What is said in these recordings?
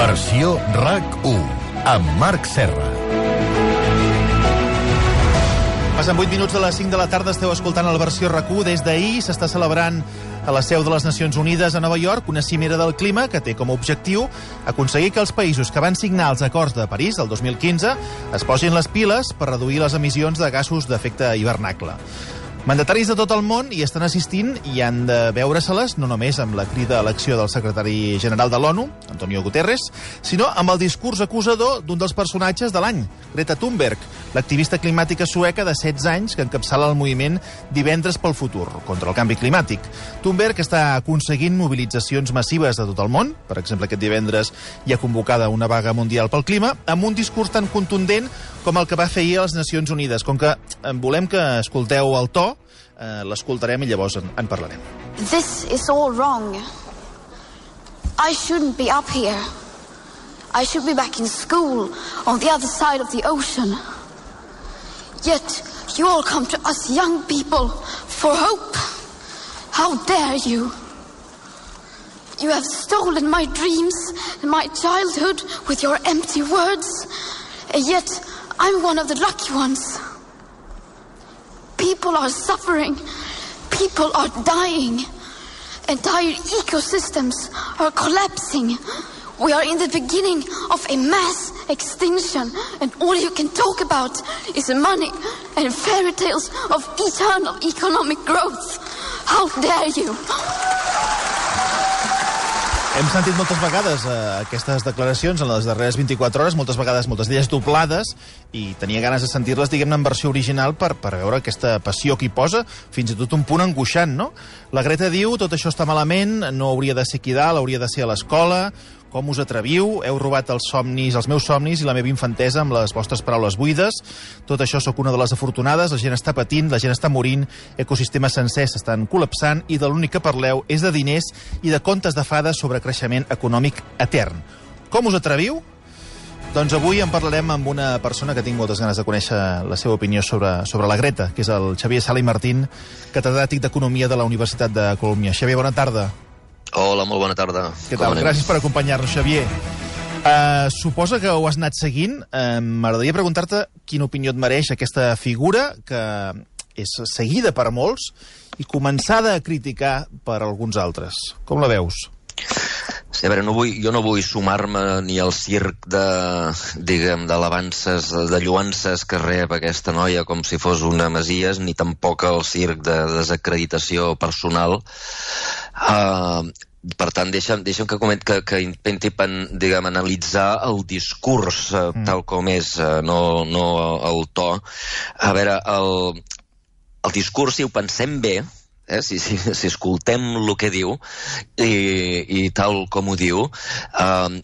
Versió RAC1, amb Marc Serra. Passen 8 minuts de les 5 de la tarda, esteu escoltant el Versió RAC1. Des d'ahir s'està celebrant a la seu de les Nacions Unides a Nova York una cimera del clima que té com a objectiu aconseguir que els països que van signar els acords de París el 2015 es posin les piles per reduir les emissions de gasos d'efecte hivernacle. Mandataris de tot el món hi estan assistint i han de veure-se-les no només amb la crida a l'acció del secretari general de l'ONU, Antonio Guterres, sinó amb el discurs acusador d'un dels personatges de l'any, Greta Thunberg, l'activista climàtica sueca de 16 anys que encapçala el moviment Divendres pel Futur contra el canvi climàtic. Thunberg està aconseguint mobilitzacions massives de tot el món. Per exemple, aquest divendres hi ha convocada una vaga mundial pel clima amb un discurs tan contundent com el que va fer ahir a les Nacions Unides. Com que volem que escolteu el to, l'escoltarem i llavors en parlarem. This is all wrong. I shouldn't be up here. I should be back in school on the other side of the ocean. Yet you all come to us young people for hope. How dare you? You have stolen my dreams and my childhood with your empty words. And yet I'm one of the lucky ones. People are suffering. People are dying. Entire ecosystems are collapsing. We are in the beginning of a mass extinction, and all you can talk about is money and fairy tales of eternal economic growth. How dare you? Hem sentit moltes vegades aquestes declaracions en les darreres 24 hores, moltes vegades, moltes d'elles doblades, i tenia ganes de sentir-les, diguem-ne, en versió original per veure aquesta passió que hi posa, fins i tot un punt angoixant, no? La Greta diu, tot això està malament, no hauria de ser aquí dalt, hauria de ser a l'escola. Com us atreviu? Heu robat els meus somnis i la meva infantesa amb les vostres paraules buides. Tot això sóc una de les afortunades, la gent està patint, la gent està morint, ecosistemes sencers s'estan col·lapsant i de l'únic que parleu és de diners i de contes de fades sobre creixement econòmic etern. Com us atreviu? Doncs avui en parlarem amb una persona que tinc moltes ganes de conèixer la seva opinió sobre la Greta, que és el Xavier Sala i Martín, catedràtic d'Economia de la Universitat de Colòmbia. Xavier, bona tarda. Hola, molt bona tarda. Què tal? Gràcies per acompanyar-nos, Xavier. Suposa que ho has anat seguint. M'agradaria preguntar-te quina opinió et mereix aquesta figura que és seguida per molts i començada a criticar per alguns altres. Com la veus? Sí, a veure, jo no vull sumar-me ni al circ d'alabances, de lluances que rep aquesta noia com si fos una Messies, ni tampoc al circ de desacreditació personal. Per tant, deixa'm que intenti analitzar el discurs tal com és, no el to. A veure, el discurs, si ho pensem bé, si escoltem el que diu i tal com ho diu,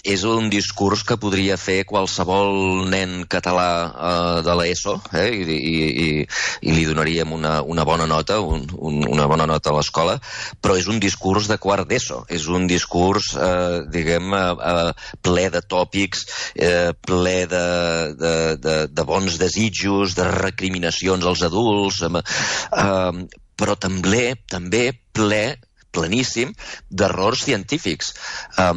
és un discurs que podria fer qualsevol nen català de l'ESO i li donaríem una bona nota, una bona nota a l'escola, però és un discurs de quart d'ESO, és un discurs, ple de tòpics, ple de bons desitjos, de recriminacions als adults, però també pleníssim d'errors científics.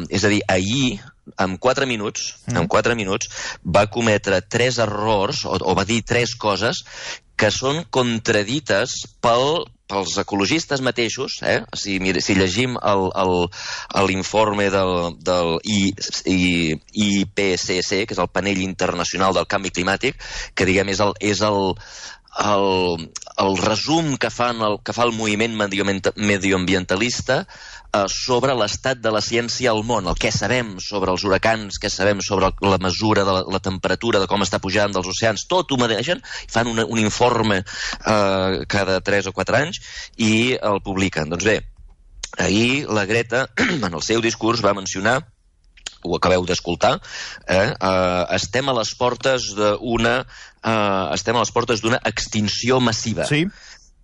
És a dir, ahir, en 4 minuts, va cometre 3 errors, o va dir 3 coses que són contradites pels ecologistes mateixos. Si llegim l'informe del IPCC, que és el Panell Internacional del Canvi Climàtic, que diguem és el resum que fa el moviment medioambientalista sobre l'estat de la ciència al món, el que sabem sobre els huracans, què sabem sobre la mesura de la temperatura, de com està pujant dels oceans, tot ho medeixen, fan un informe cada 3 o 4 anys i el publiquen. Doncs bé, ahir la Greta, en el seu discurs, va mencionar, ho acabeu d'escoltar, estem a les portes d'una extinció massiva. Sí.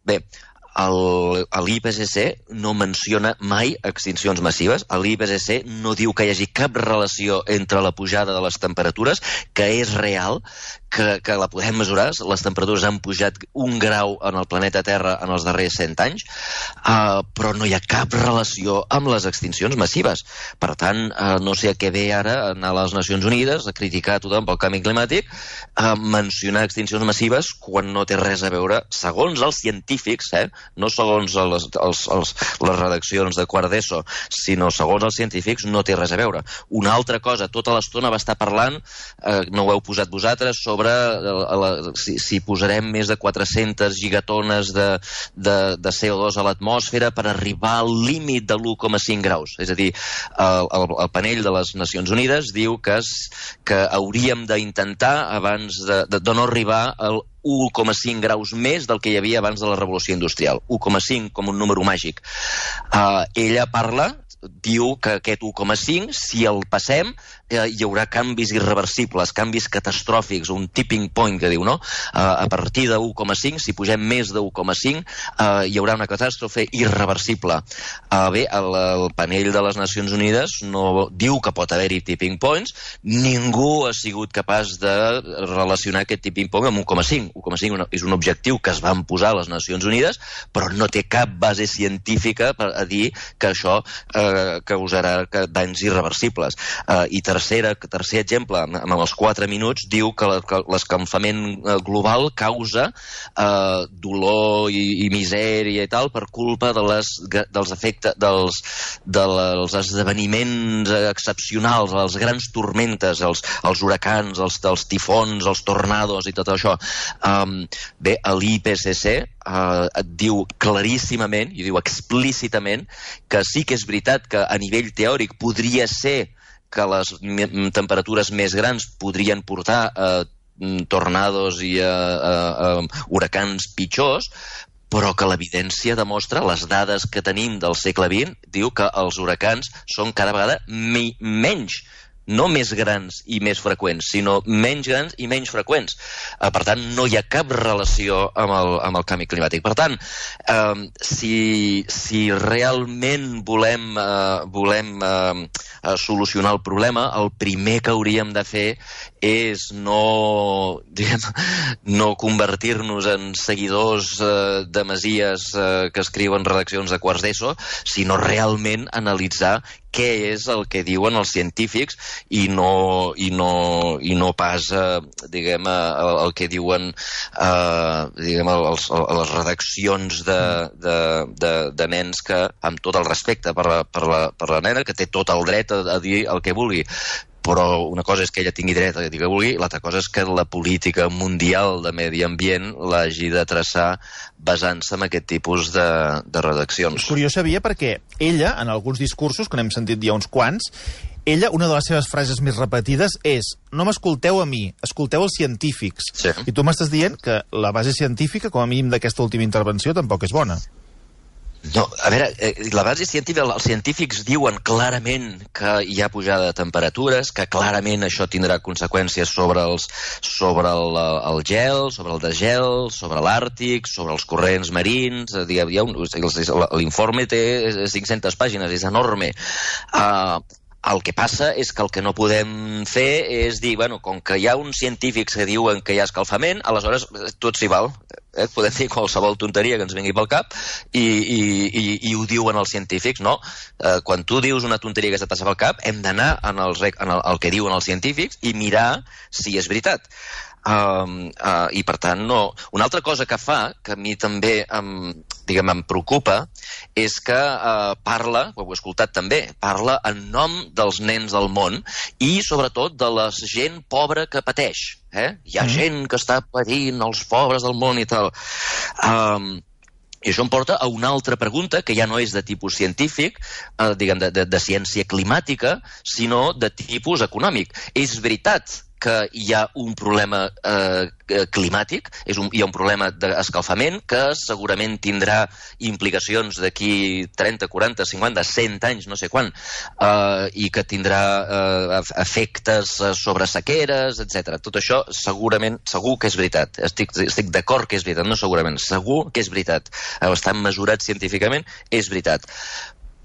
Bé, l'IPCC no menciona mai extincions massives. L'IPCC no diu que hi hagi cap relació entre la pujada de les temperatures, que és real, que la podem mesurar. Les temperatures han pujat 1 grau en el planeta Terra en els darrers 100 anys, però no hi ha cap relació amb les extincions massives. Per tant, no sé a què ve ara anar a les Nacions Unides a criticar a tothom pel canvi climàtic, mencionar extincions massives quan no té res a veure, segons els científics, no segons les redaccions de quart d'ESO, sinó segons els científics, no té res a veure. Una altra cosa, tota l'estona va estar parlant, no ho heu posat vosaltres, sobre si posarem més de 400 gigatones de CO2 a l'atmosfera per arribar al límit de l'1,5 graus. És a dir, el panell de les Nacions Unides diu que hauríem d'intentar, abans de no arribar al 1,5 graus més del que hi havia abans de la revolució industrial. 1,5 com un número màgic. Ella diu que aquest 1,5, si el passem, hi haurà canvis irreversibles, canvis catastròfics, un tipping point que diu, no? A partir de 1,5, si pugem més de 1,5, hi haurà una catàstrofe irreversible. Bé, el panell de les Nacions Unides no diu que pot haver-hi tipping points, ningú ha sigut capaç de relacionar aquest tipping point amb 1,5. 1,5 és un objectiu que es van posar a les Nacions Unides, però no té cap base científica per a dir que això causarà danys irreversibles. I tercer exemple, amb els 4 minuts, diu que l'escalfament global causa dolor i misèria i tal per culpa dels efectes dels esdeveniments excepcionals, les grans tormentes, els huracans, els tifons, els tornados i tot això. Bé, l'IPCC et diu claríssimament, i diu explícitament, que sí que és veritat que a nivell teòric podria ser que les temperatures més grans podrien portar tornados i huracans pitjors, però que l'evidència demostra, les dades que tenim del segle XX, diu que els huracans són cada vegada menys, no més grans i més freqüents, sinó menys grans i menys freqüents. Per tant, no hi ha cap relació amb el canvi climàtic. Per tant, si realment volem solucionar el problema, el primer que hauríem de fer és no convertir-nos en seguidors de masies que escriuen redaccions de quarts d'ESO, sinó realment analitzar què és el que diuen els científics i no pas, el que diuen les redaccions de nens que, amb tot el respecte per la nena, que té tot el dret a dir el que vulgui. Però una cosa és que ella tingui dret a dir que vulgui, l'altra cosa és que la política mundial de medi ambient l'hagi de traçar basant-se en aquest tipus de redaccions. És curiós, sabia, perquè ella, en alguns discursos, que n'hem sentit ja uns quants, ella, una de les seves frases més repetides és: no m'escolteu a mi, escolteu els científics. Sí. I tu m'estàs dient que la base científica, com a mínim d'aquesta última intervenció, tampoc és bona. No, a veure, la base científica, els científics diuen clarament que hi ha pujada de temperatures, que clarament això tindrà conseqüències sobre el gel, sobre el desgel, sobre l'Àrtic, sobre els corrents marins. L'informe té 500 pàgines, és enorme. El que passa és que el que no podem fer és dir, bueno, com que hi ha uns científics que diuen que hi ha escalfament, aleshores tot s'hi val. Podem dir qualsevol tonteria que ens vingui pel cap i ho diuen els científics. No, quan tu dius una tonteria que se passa pel cap, hem d'anar al que diuen els científics i mirar si és veritat. I per tant no. Una altra cosa que fa, que a mi també em preocupa, és que parla, ho heu escoltat també, parla en nom dels nens del món i sobretot de la gent pobra que pateix. Hi ha gent que està patint, els pobres del món i tal. I això em porta a una altra pregunta, que ja no és de tipus científic, de ciència climàtica, sinó de tipus econòmic. És veritat que hi ha un problema climàtic, hi ha un problema d'escalfament que segurament tindrà implicacions d'aquí 30, 40, 50, 100 anys, no sé quan, i que tindrà efectes sobre sequeres, etc. Tot això segurament, segur que és veritat. Estic d'acord que és veritat, no segurament, segur que és veritat. Estan mesurats científicament, és veritat.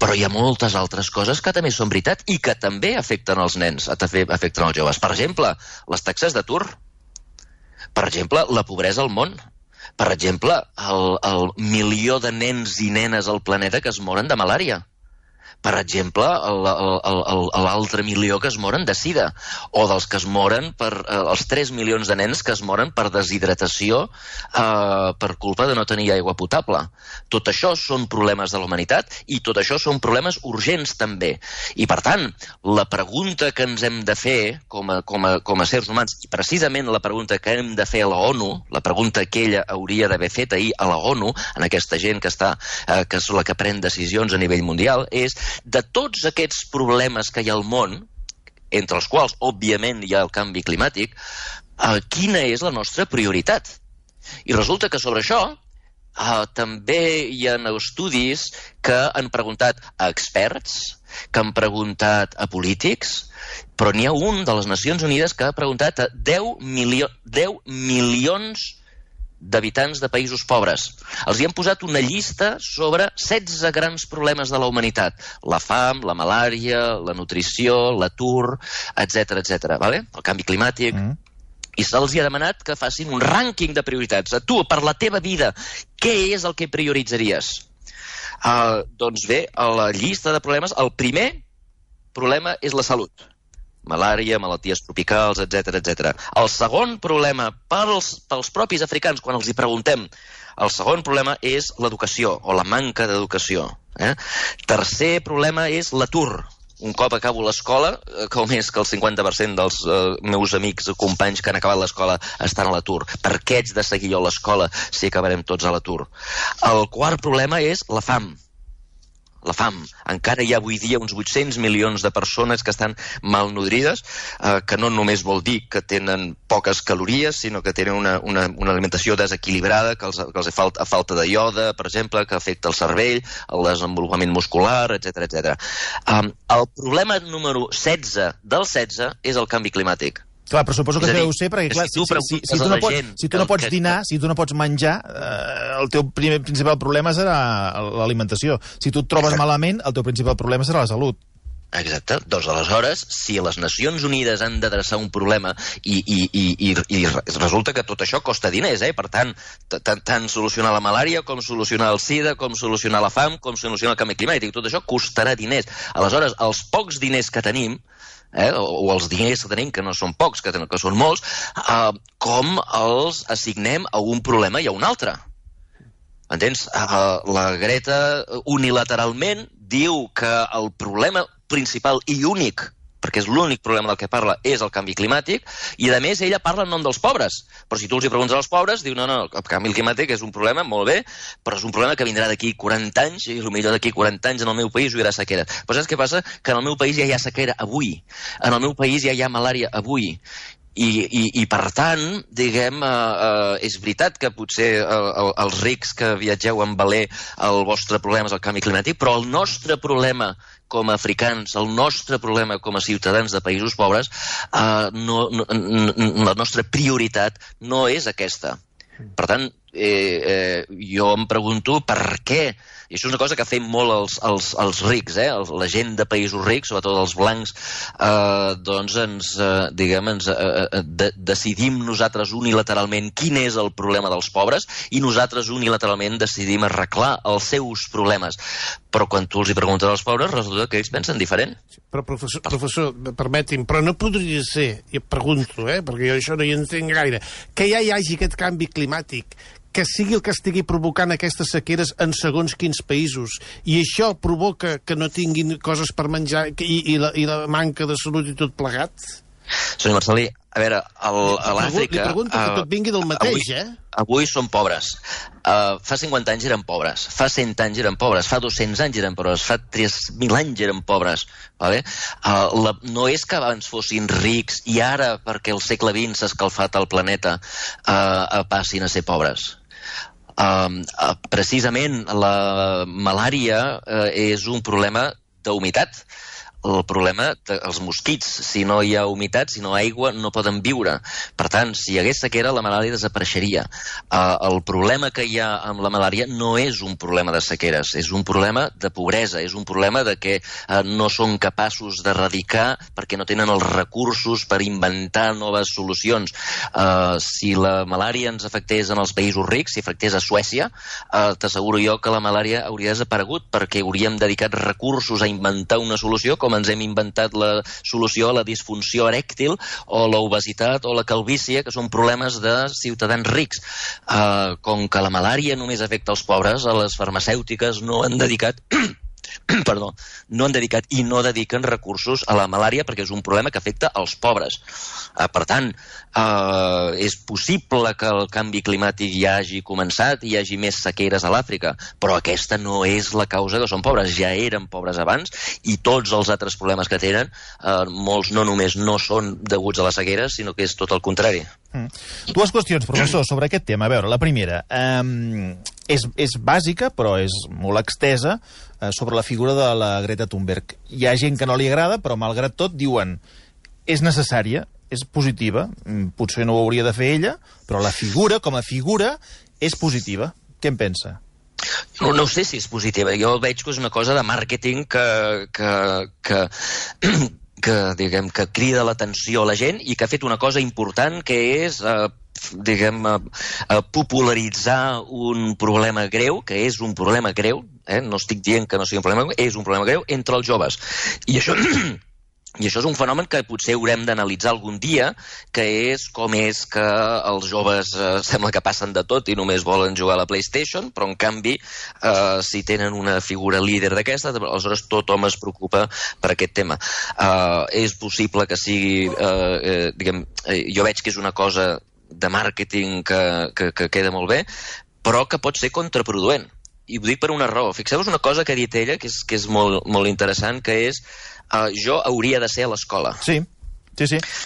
Però hi ha moltes altres coses que també són veritat i que també afecten els nens, també afecten els joves. Per exemple, les taxes d'atur. Per exemple, la pobresa al món. Per exemple, el milió de nens i nenes al planeta que es moren de malària. Per exemple, l'altre milió que es moren de sida, o dels que es moren els 3 milions de nens que es moren per deshidratació per culpa de no tenir aigua potable. Tot això són problemes de la humanitat i tot això són problemes urgents també. I per tant, la pregunta que ens hem de fer com a sers humans, i precisament la pregunta que hem de fer a la ONU, la pregunta que ella hauria d'haver fet ahir a la ONU, en aquesta gent que és la que pren decisions a nivell mundial, és de tots aquests problemes que hi ha al món, entre els quals, òbviament, hi ha el canvi climàtic, quina és la nostra prioritat? I resulta que sobre això també hi ha estudis que han preguntat a experts, que han preguntat a polítics, però n'hi ha un de les Nacions Unides que ha preguntat a 10 milions d'habitants de països pobres. Els hi han posat una llista sobre 16 grans problemes de la humanitat. La fam, la malària, la nutrició, l'atur, etc. Vale? El canvi climàtic. I se'ls ha demanat que facin un rànquing de prioritats. A tu, per la teva vida, què és el que prioritzaries? Doncs bé, a la llista de problemes, el primer problema és la salut. Malària, malalties tropicals, etc. El segon problema pels propis africans, quan els hi preguntem, el segon problema és l'educació, o la manca d'educació. Tercer problema és l'atur. Un cop acabo l'escola, com és que el 50% dels meus amics o companys que han acabat l'escola estan a l'atur. Per què haig de seguir jo l'escola si acabarem tots a l'atur? El quart problema és la fam. La fam. Encara hi ha avui dia uns 800 milions de persones que estan malnodrides, que no només vol dir que tenen poques calories, sinó que tenen una alimentació desequilibrada, que els fa falta de iode, per exemple, que afecta el cervell, el desenvolupament muscular, etc. El problema número 16 del 16 és el canvi climàtic. Clar, però suposo que deu ser, perquè clar, si tu no pots dinar, si tu no pots menjar, el teu principal problema serà l'alimentació. Si tu et trobes malament, el teu principal problema serà la salut. Exacte. Doncs aleshores, si les Nacions Unides han d'adreçar un problema i resulta que tot això costa diners, per tant solucionar la malària, com solucionar el sida, com solucionar la fam, com solucionar el canvi climàtic, tot això costarà diners. Aleshores, els pocs diners que tenim, o els diners que tenim, que no són pocs, que són molts, com els assignem a un problema i a un altre. Entens? La Greta unilateralment diu que el problema principal i únic, perquè és l'únic problema del que parla, és el canvi climàtic, i a més ella parla en nom dels pobres. Però si tu els hi preguntes als pobres, diu, no, el canvi climàtic és un problema, molt bé, però és un problema que vindrà d'aquí 40 anys, i potser d'aquí 40 anys en el meu país hi haurà sequera. Però saps què passa? Que en el meu país ja hi ha sequera avui. En el meu país ja hi ha malària avui. I per tant, diguem, és veritat que potser els rics que viatgeu en veler el vostre problema és el canvi climàtic, però el nostre problema com a africans, el nostre problema com a ciutadans de països pobres, la nostra prioritat no és aquesta. Per tant, jo em pregunto per què. I això és una cosa que fem molt els rics, la gent de països rics, sobretot els blancs, doncs decidim nosaltres unilateralment quin és el problema dels pobres i nosaltres unilateralment decidim arreglar els seus problemes. Però quan tu els hi preguntes als pobres, resulta que ells pensen diferent. Però, professor, permeti'm, però no podria ser, i et pregunto, perquè jo això no hi entenc gaire, que ja hi hagi aquest canvi climàtic, que sigui el que estigui provocant aquestes sequeres en segons quins països, i això provoca que no tinguin coses per menjar i la manca de salut i tot plegat? Senyor Marcelí, a veure, a l'Àfrica... Li pregunto que tot vingui del mateix, Avui són pobres. Fa 50 anys eren pobres, fa 100 anys eren pobres, fa 200 anys eren pobres, fa 3.000 anys eren pobres. Vale? No és que abans fossin rics i ara, perquè el segle XX s'ha escalfat el planeta, passin a ser pobres. Precisament la malària és un problema d'humitat. El problema dels mosquits, si no hi ha humitat, si no hi ha aigua, no poden viure. Per tant, si hi hagués sequera, la malària desapareixeria. El problema que hi ha amb la malària no és un problema de sequeres, és un problema de pobresa, és un problema de que no són capaços d'erradicar perquè no tenen els recursos per inventar noves solucions. Si la malària ens afectés en els països rics, si afectés a Suècia, t'asseguro jo que la malària hauria desaparegut perquè hauríem dedicat recursos a inventar una solució com ens hem inventat la solució a la disfunció erèctil o l'obesitat o la calvície, que són problemes de ciutadans rics. Com que la malària només afecta els pobres, a les farmacèutiques no han dedicat i no dediquen recursos a la malària perquè és un problema que afecta els pobres. Per tant, és possible que el canvi climàtic ja hagi començat i hi hagi més sequeres a l'Àfrica, però aquesta no és la causa que són pobres. Ja eren pobres abans i tots els altres problemes que tenen, molts no només no són deguts a les sequeres, sinó que és tot el contrari. Dues qüestions, professor, sobre aquest tema. A veure, la primera, és bàsica, però és molt extesa, sobre la figura de la Greta Thunberg. Hi ha gent que no li agrada, però malgrat tot diuen és necessària, és positiva, potser no ho hauria de fer ella, però la figura, com a figura, és positiva. Què en pensa? No sé si és positiva. Jo veig que és una cosa de màrqueting que crida l'atenció a la gent i que ha fet una cosa important, que és popularitzar un problema greu, que és un problema greu, no estic dient que no sigui un problema greu, és un problema greu entre els joves. I això és un fenomen que potser haurem d'analitzar algun dia, que és com és que els joves sembla que passen de tot i només volen jugar a la PlayStation, però en canvi, si tenen una figura líder d'aquesta, aleshores tothom es preocupa per aquest tema. És possible que sigui, jo veig que és una cosa de màrqueting que queda molt bé, però que pot ser contraproduent. I ho dic per una raó. Fixeu-vos una cosa que ha dit ella, que és molt interessant, que és jo hauria de ser a l'escola. Sí.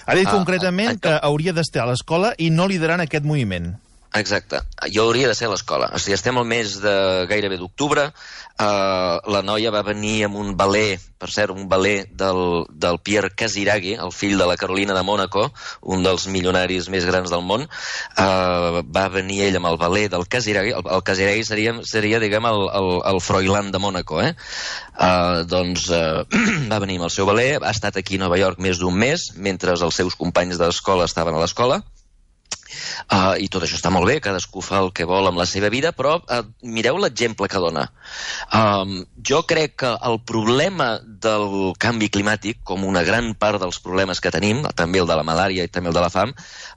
Ha dit concretament que hauria d'estar a l'escola i no liderant aquest moviment. Exacte. Jo hauria de ser a l'escola. O sigui, estem al mes de gairebé d'octubre. La noia va venir amb un balé, per cert, un balé del Pierre Casiraghi, el fill de la Carolina de Mònaco, un dels milionaris més grans del món. Va venir ell amb el balé del Casiraghi. El Casiraghi seria diguem, el Froilán de Mònaco, Doncs va venir amb el seu balé, ha estat aquí a Nova York més d'un mes, mentre els seus companys d'escola estaven a l'escola. I tot això està molt bé, cadascú fa el que vol amb la seva vida, però mireu l'exemple que dona. Jo crec que el problema del canvi climàtic, com una gran part dels problemes que tenim, també el de la malària i també el de la fam,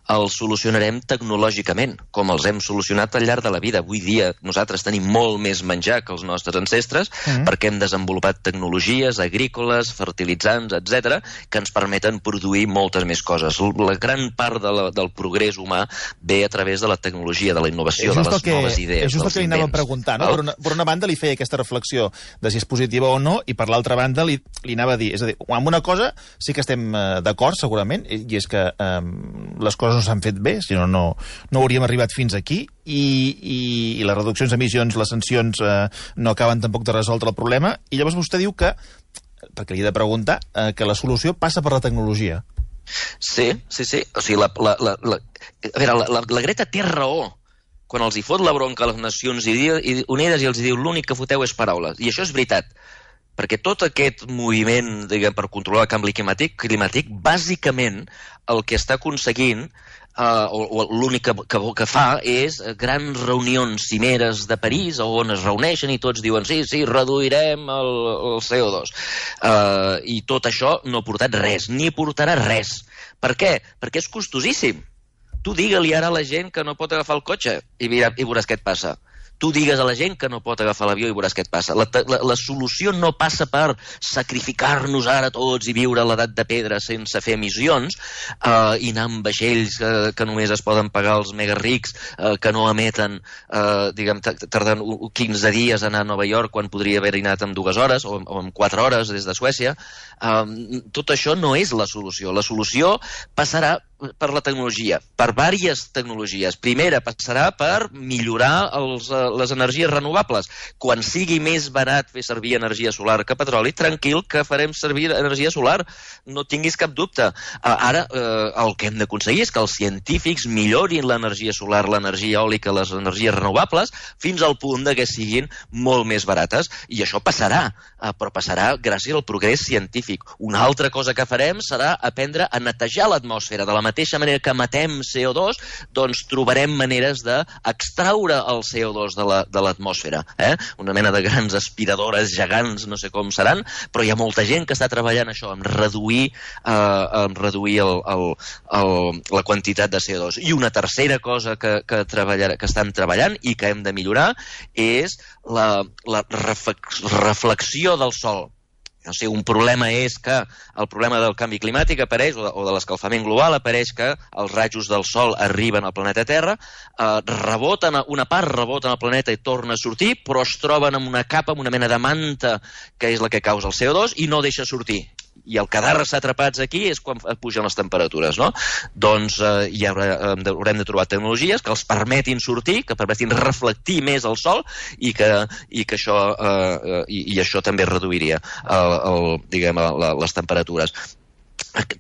el solucionarem tecnològicament, com els hem solucionat al llarg de la vida. Avui dia nosaltres tenim molt més menjar que els nostres ancestres perquè hem desenvolupat tecnologies agrícoles, fertilitzants, etc., que ens permeten produir moltes més coses. La gran part del progrés humà ve a través de la tecnologia, de la innovació, de les noves idees. És just el que li anava a preguntar, no? Per una banda li feia aquesta reflexió de si és positiva o no, i per l'altra banda li anava a dir, és a dir, amb una cosa sí que estem d'acord segurament, i és que les coses no s'han fet bé, si no, no hauríem arribat fins aquí, i les reduccions d'emissions, les sancions no acaben tampoc de resoldre el problema, i llavors vostè diu que, perquè li he de preguntar, que la solució passa per la tecnologia. Sí. O sigui, la Greta té raó quan els hi fot la bronca a les Nacions Unides i els diu l'únic que foteu és paraules. I això és veritat, perquè tot aquest moviment, diguem, per controlar el canvi climàtic, bàsicament el que està aconseguint o l'únic que fa és grans reunions cimeres de París on es reuneixen i tots diuen sí, reduirem el CO2. I tot això no ha portat res, ni portarà res. Per què? Perquè és costosíssim. Tu digue-li ara a la gent que no pot agafar el cotxe i veuràs què et passa. tu digues a la gent que no pot agafar l'avió i veuràs què et passa. La solució no passa per sacrificar-nos ara tots i viure a l'edat de pedra sense fer emissions i anar amb vaixells que només es poden pagar els mega rics, que no emeten, diguem, tarden 15 dies a anar a Nova York quan podria haver anat en 2 hores o en 4 hores des de Suècia. Tot això no és la solució. La solució passarà per la tecnologia, per diverses tecnologies. Primera, passarà per millorar les energies renovables. Quan sigui més barat fer servir energia solar que petroli, tranquil que farem servir energia solar. No tinguis cap dubte. Ara, el que hem d'aconseguir és que els científics millorin l'energia solar, l'energia eòlica, les energies renovables, fins al punt que siguin molt més barates. I això passarà, però passarà gràcies al progrés científic. Una altra cosa que farem serà aprendre a netejar l'atmosfera. De la mateixa manera que matem CO2, doncs trobarem maneres d'extraure el CO2 de l'atmosfera. Una mena de grans aspiradores gegants, no sé com seran, però hi ha molta gent que està treballant això, en reduir la quantitat de CO2. I una tercera cosa que estan treballant i que hem de millorar és la reflexió del sol. No sé, un problema és que el problema del canvi climàtic apareix, o de l'escalfament global, apareix que els rajos del sol arriben al planeta Terra, una part rebota al planeta i torna a sortir, però es troben amb una capa, amb una mena de manta, que és la que causa el CO2, i no deixa sortir. I el quedar-se atrapats aquí és quan pugen les temperatures, no? Doncs haurem de trobar tecnologies que els permetin sortir, que permetin reflectir més el sol i que això també reduiria les temperatures.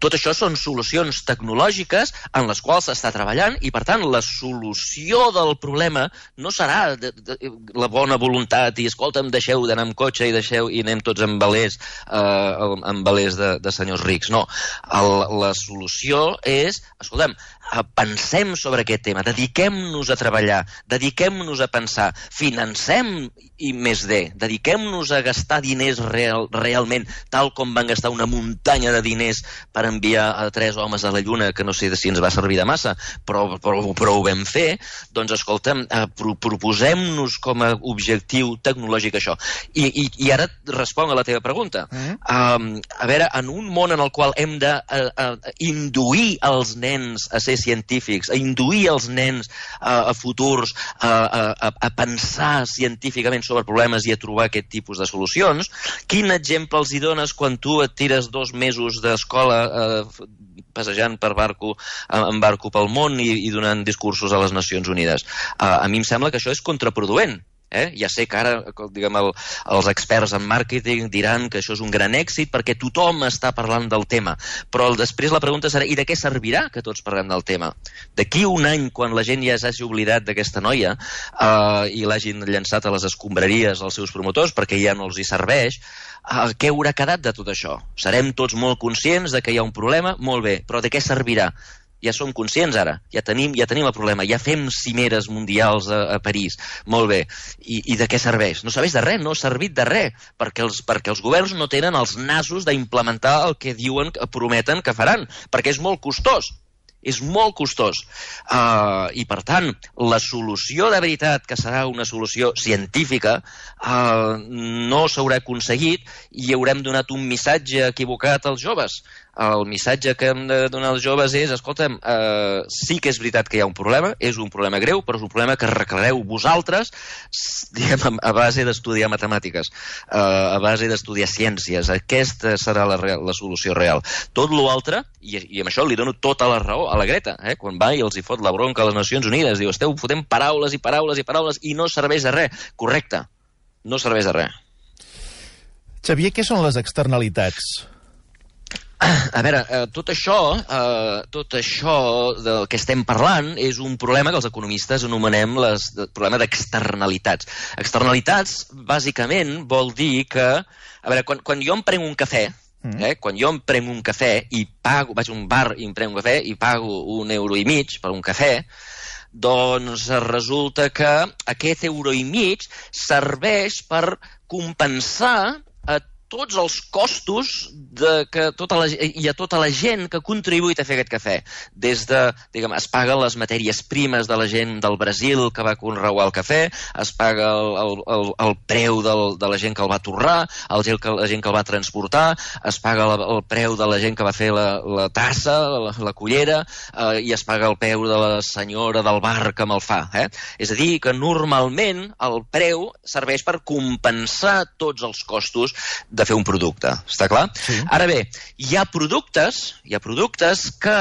Tot això són solucions tecnològiques en les quals s'està treballant i, per tant, la solució del problema no serà la bona voluntat i, escolta'm, deixeu d'anar amb cotxe i anem tots amb velers de senyors rics. No, la solució és, escolta'm, pensem sobre aquest tema, dediquem-nos a treballar, dediquem-nos a pensar, financem I+D, dediquem-nos a gastar diners realment, tal com van gastar una muntanya de diners per enviar a 3 homes a la Lluna, que no sé si ens va servir de massa, però ho vam fer. Doncs, escolta'm, proposem-nos com a objectiu tecnològic això. I ara responc a la teva pregunta. A veure, en un món en el qual hem d'induir els nens a ser científics, a induir els nens a futurs a pensar científicament sobre problemes i a trobar aquest tipus de solucions, quin exemple els hi dones quan tu et tires 2 mesos d'escola passejant en barco pel món i donant discursos a les Nacions Unides? A mi em sembla que això és contraproduent. Ja sé que ara, diguem, els experts en màrqueting diran que això és un gran èxit perquè tothom està parlant del tema, però després la pregunta serà, i de què servirà que tots parlem del tema? D'aquí un any, quan la gent ja s'hagi oblidat d'aquesta noia i l'hagin llançat a les escombraries als seus promotors perquè ja no els hi serveix, què haurà quedat de tot això? Serem tots molt conscients de que hi ha un problema? Molt bé, però de què servirà? Ja som conscients ara, ja tenim el problema, ja fem cimeres mundials a París, molt bé, i de què serveix? No serveix de res, no ha servit de res, perquè els governs no tenen els nassos d'implementar el que diuen, prometen que faran, perquè és molt costós. És molt costós. I, per tant, la solució de veritat, que serà una solució científica, no s'haurà aconseguit i haurem donat un missatge equivocat als joves. El missatge que hem de donar als joves és, escolta'm, sí que és veritat que hi ha un problema, és un problema greu, però és un problema que arreglareu vosaltres, diguem, a base d'estudiar matemàtiques, a base d'estudiar ciències. Aquesta serà la solució real. Tot l'altre, i amb això li dono tota la raó a la Greta, quan va i els hi fot la bronca a les Nacions Unides, diu, esteu fotent paraules i paraules i paraules i no serveix de res. Correcte, no serveix de res. Xavier, què són les externalitats? A veure, tot això del que estem parlant és un problema que els economistes anomenem el problema d'externalitats. Externalitats, bàsicament, vol dir que... A veure, quan jo em prenc un cafè, quan jo em prenc un cafè i pago, vaig a un bar i em prenc un cafè i pago €1,50 per un cafè, doncs resulta que aquest €1,50 serveix per compensar a tots els costos i a tota la gent que ha contribuït a fer aquest cafè. Des de, diguem, es paguen les matèries primes de la gent del Brasil que va conrear el cafè, es paga el preu de la gent que el va torrar, la gent que el va transportar, es paga el preu de la gent que va fer la tassa, la cullera, i es paga el preu de la senyora del bar que me'l fa. És a dir, que normalment el preu serveix per compensar tots els costos de fer un producte, està clar? Sí. Ara bé, hi ha productes que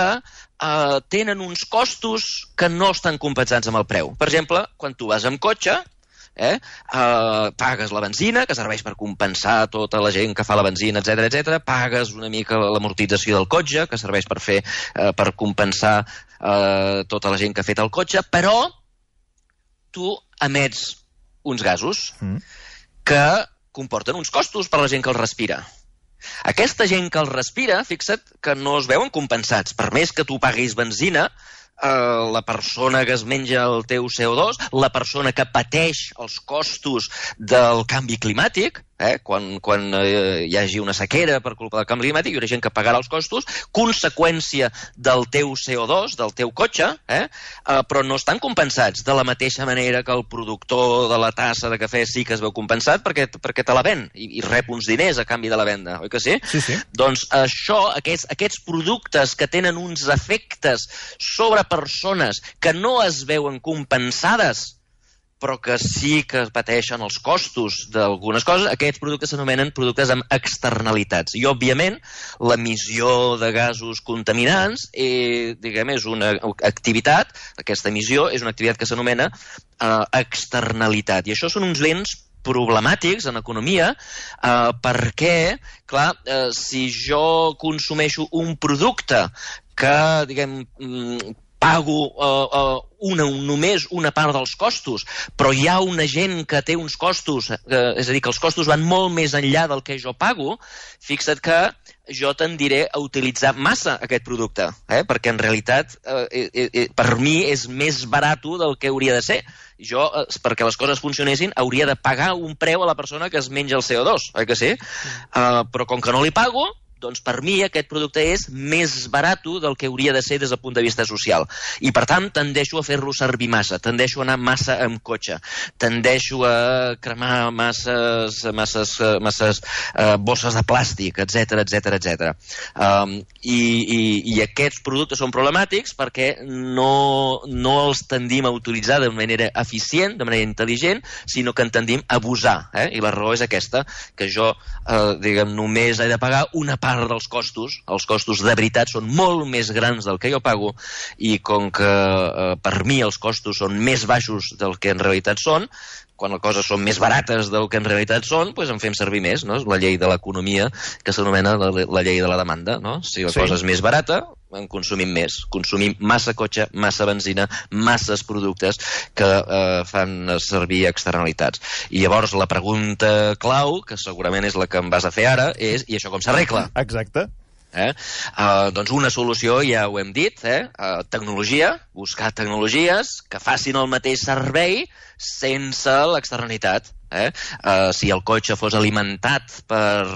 tenen uns costos que no estan compensats amb el preu. Per exemple, quan tu vas amb cotxe, pagues la benzina, que serveix per compensar tota la gent que fa la benzina, etc. Pagues una mica l'amortització del cotxe, que serveix per compensar tota la gent que ha fet el cotxe, però tu emets uns gasos que comporten uns costos per la gent que els respira. Aquesta gent que els respira, fixa't que no es veuen compensats. Per més que tu paguis benzina, la persona que es menja el teu CO2, la persona que pateix els costos del canvi climàtic, quan hi hagi una sequera per culpa del canvi climàtic, hi haurà gent que pagarà els costos, conseqüència del teu CO2, del teu cotxe, però no estan compensats de la mateixa manera que el productor de la tassa de cafè sí que es veu compensat perquè te la ven i rep uns diners a canvi de la venda, oi que sí? Sí. Doncs això, aquests productes que tenen uns efectes sobre persones que no es veuen compensades però que sí que pateixen els costos d'algunes coses, aquests productes s'anomenen productes amb externalitats. I, òbviament, l'emissió de gasos contaminants és una activitat, aquesta emissió és una activitat que s'anomena externalitat. I això són uns béns problemàtics en economia perquè, clar, si jo consumeixo un producte que, diguem, pago només una part dels costos, però hi ha una gent que té uns costos, és a dir, que els costos van molt més enllà del que jo pago, fixa't que jo tendiré a utilitzar massa aquest producte, perquè en realitat per mi és més barat del que hauria de ser. Jo, perquè les coses funcionessin, hauria de pagar un preu a la persona que es menja el CO2, oi que sí? Però com que no li pago, doncs per mi aquest producte és més barat del que hauria de ser des del punt de vista social. I per tant tendeixo a fer-lo servir massa, tendeixo a anar massa amb cotxe, tendeixo a cremar masses bosses de plàstic, etc. I aquests productes són problemàtics perquè no els tendim a utilitzar de manera eficient, de manera intel·ligent, sinó que en tendim a abusar. I la raó és aquesta, que jo només he de pagar una part dels costos, els costos de veritat són molt més grans del que jo pago i com que per mi els costos són més baixos del que en realitat són, quan les coses són més barates del que en realitat són, doncs en fem servir més, no? És la llei de l'economia que s'anomena la llei de la demanda, no? Si la cosa és més barata, en consumim més. Consumim massa cotxe, massa benzina, masses productes que fan servir externalitats. I llavors la pregunta clau, que segurament és la que em vas a fer ara, és i això com s'arregla? Exacte. Doncs una solució, ja ho hem dit, tecnologia, buscar tecnologies que facin el mateix servei sense l'externalitat. Si el cotxe fos alimentat per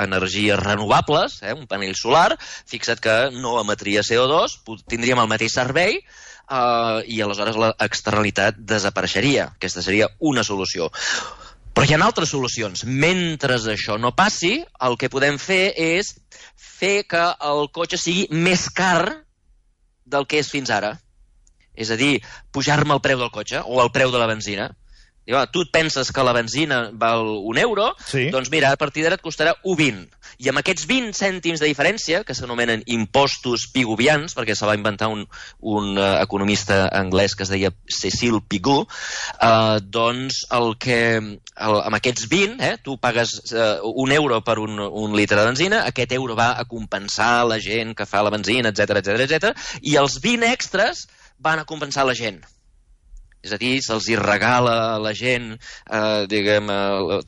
energies renovables, un panell solar, fixa't que no emetria CO2, tindríem el mateix servei i aleshores l'externalitat desapareixeria. Aquesta seria una solució. Però hi ha altres solucions. Mentre això no passi, el que podem fer és fer que el cotxe sigui més car del que és fins ara. És a dir, pujar-me el preu del cotxe o el preu de la benzina. Tu et penses que la benzina val €1, doncs mira, a partir d'ara et costarà 1,20. I amb aquests 20 cèntims de diferència, que s'anomenen impostos piguvians, perquè se va inventar un economista anglès que es deia Cecil Pigou, doncs amb aquests 20, tu pagues €1 per un litre de benzina, aquest euro va a compensar la gent que fa la benzina, etc. I els 20 extras van a compensar la gent. És a dir, se'ls hi regala a la gent,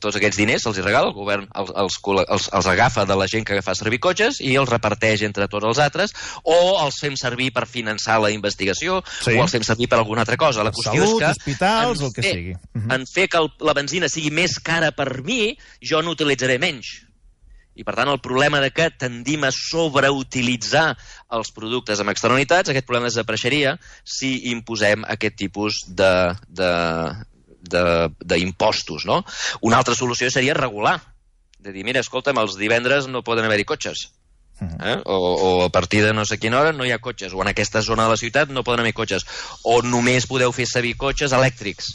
tots aquests diners, se'ls hi regala, el govern els agafa de la gent que fa servir cotxes i els reparteix entre tots els altres, o els fem servir per finançar la investigació, o els fem servir per alguna altra cosa. La qüestió és que hospitals, el que sigui. En fer que la benzina sigui més cara per mi, jo n'utilitzaré menys. I, per tant, el problema de que tendim a sobreutilitzar els productes amb externalitats, aquest problema desapareixeria si imposem aquest tipus d'impostos, no? Una altra solució seria regular. De dir, mira, escolta'm, els divendres no poden haver-hi cotxes. O a partir de no sé quina hora no hi ha cotxes, o en aquesta zona de la ciutat no poden haver cotxes, o només podeu fer servir cotxes elèctrics.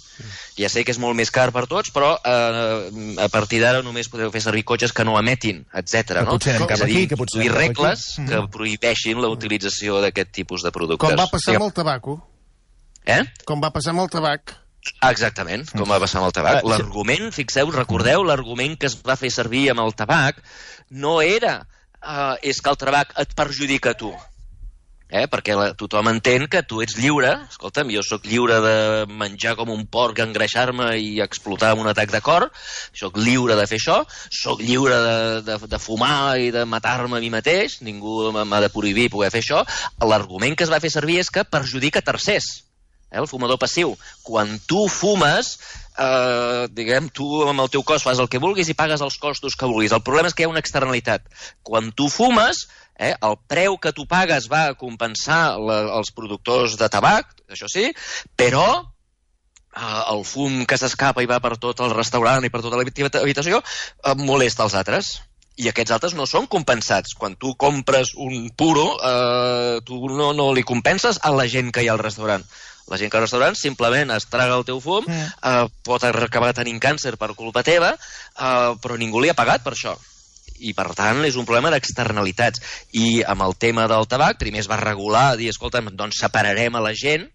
Ja sé que és molt més car per tots, però a partir d'ara només podeu fer servir cotxes que no emetin, etc. No? Potser anem cap aquí, que potser anem regles que prohibeixin la utilització d'aquest tipus de productes. Com va passar amb el tabaco. Com va passar amb el tabac. Exactament, com va passar amb el tabac. L'argument, fixeu, recordeu, l'argument que es va fer servir amb el tabac no era és que el tabac et perjudica a tu. Perquè tothom entén que tu ets lliure. Escolta'm, jo sóc lliure de menjar com un porc, engreixar-me i explotar amb un atac de cor. Sóc lliure de fer això. Sóc lliure de fumar i de matar-me a mi mateix. Ningú m'ha de prohibir poder fer això. L'argument que es va fer servir és que perjudica tercers. El fumador passiu. Quan tu fumes, tu amb el teu cos fas el que vulguis i pagues els costos que vulguis. El problema és que hi ha una externalitat. Quan tu fumes, el preu que tu pagues va a compensar els productors de tabac, això sí, però el fum que s'escapa i va per tot el restaurant i per tota l'habitació molesta els altres. I aquests altres no són compensats. Quan tu compres un puro, tu no li compenses a la gent que hi ha al restaurant. La gent que al restaurant simplement es traga el teu fum, pot acabar tenint càncer per culpa teva, però ningú li ha pagat per això. I, per tant, és un problema d'externalitats. I amb el tema del tabac, primer es va regular, dir, escolta'm, doncs separarem a la gent,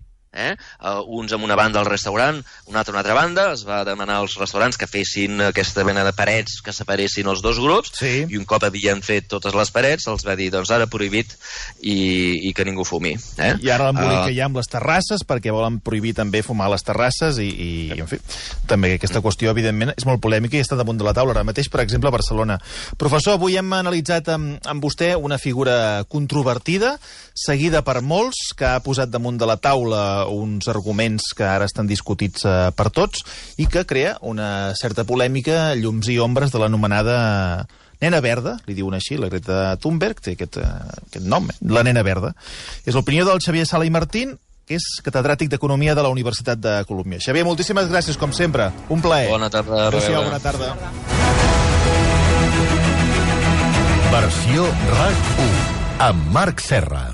uns amb una banda al restaurant, una altra banda. Es va demanar als restaurants que fessin aquesta mena de parets que separessin els dos grups, i un cop havien fet totes les parets els va dir, doncs ara prohibit i que ningú fumi. I ara l'embolic que hi ha amb les terrasses, perquè volen prohibir també fumar a les terrasses i en fi, també aquesta qüestió evidentment és molt polèmica i està damunt de la taula ara mateix, per exemple, a Barcelona. Professor, avui hem analitzat amb vostè una figura controvertida, seguida per molts, que ha posat damunt de la taula uns arguments que ara estan discutits per tots i que crea una certa polèmica, llums i ombres de l'anomenada nena verda, li diuen així, la Greta Thunberg, té aquest nom, la nena verda. És l'opinió del Xavier Sala i Martín, que és catedràtic d'Economia de la Universitat de Colúmbia. Xavier, moltíssimes gràcies, com sempre. Un plaer. Bona tarda. Adéu-siau, bona tarda. Versió RAC 1 amb Marc Serra.